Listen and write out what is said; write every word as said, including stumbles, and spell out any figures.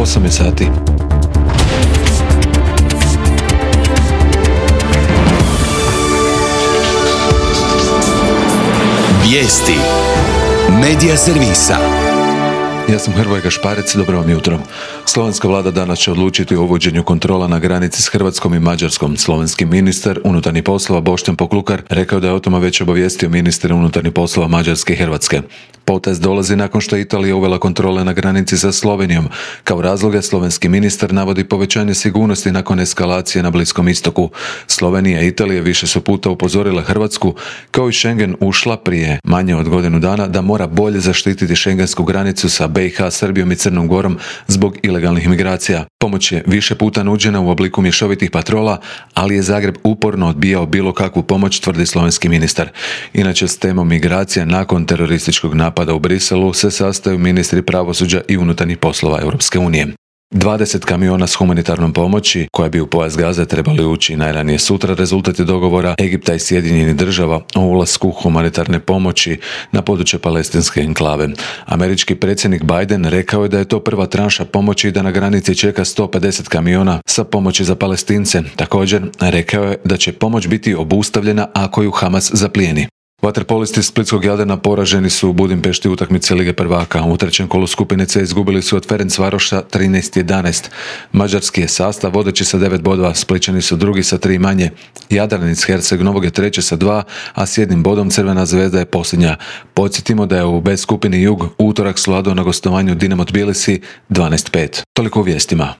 osam je sati. Vijesti Medija servisa. Ja sam Hrvoje Gašparec, dobro vam jutro. Slovenska vlada danas će odlučiti o uvođenju kontrola na granici s Hrvatskom i Mađarskom. Slovenski ministar unutarnjih poslova Boštjan Poklukar rekao da je o tome već obavijestio ministra unutarnjih poslova Mađarske i Hrvatske. Potez dolazi nakon što je Italija uvela kontrole na granici sa Slovenijom. Kao razloge slovenski ministar navodi povećanje sigurnosti nakon eskalacije na Bliskom istoku. Slovenija i Italija više su puta upozorile Hrvatsku, kao i Schengen ušla prije manje od godinu dana, da mora bolje zaštititi šengensku granicu sa B i H, Srbijom i Crnom Gorom zbog ilegalnih migracija. Pomoć je više puta nuđena u obliku mješovitih patrola, ali je Zagreb uporno odbijao bilo kakvu pomoć, tvrdi slovenski ministar. Inače, s temom migracija nakon terorističkog napada u Briselu se sastaju ministri pravosuđa i unutarnjih poslova Europske unije. dvadeset kamiona s humanitarnom pomoći, koja bi u pojas Gaze trebali ući najranije sutra, rezultat je dogovora Egipta i Sjedinjenih država o ulasku humanitarne pomoći na područje palestinske enklave. Američki predsjednik Biden rekao je da je to prva tranša pomoći i da na granici čeka sto pedeset kamiona sa pomoći za Palestince. Također, rekao je da će pomoć biti obustavljena ako ju Hamas zaplijeni. Vaterpolisti splitskog Jadrana poraženi su u Budimpešti utakmice Lige prvaka. U trećem kolu skupine C izgubili su od Ferencvaroša trinaest jedanaest. Mađarski je sastav vodeći sa devet bodova, Splićani su drugi sa tri manje. Jadran iz Herceg Novog je treći sa dva, a s jednim bodom Crvena zvezda je posljednja. Podsjetimo da je u B skupini Jug utorak svladao na gostovanju Dinamo Tbilisi dvanaest pet. Toliko u vijestima.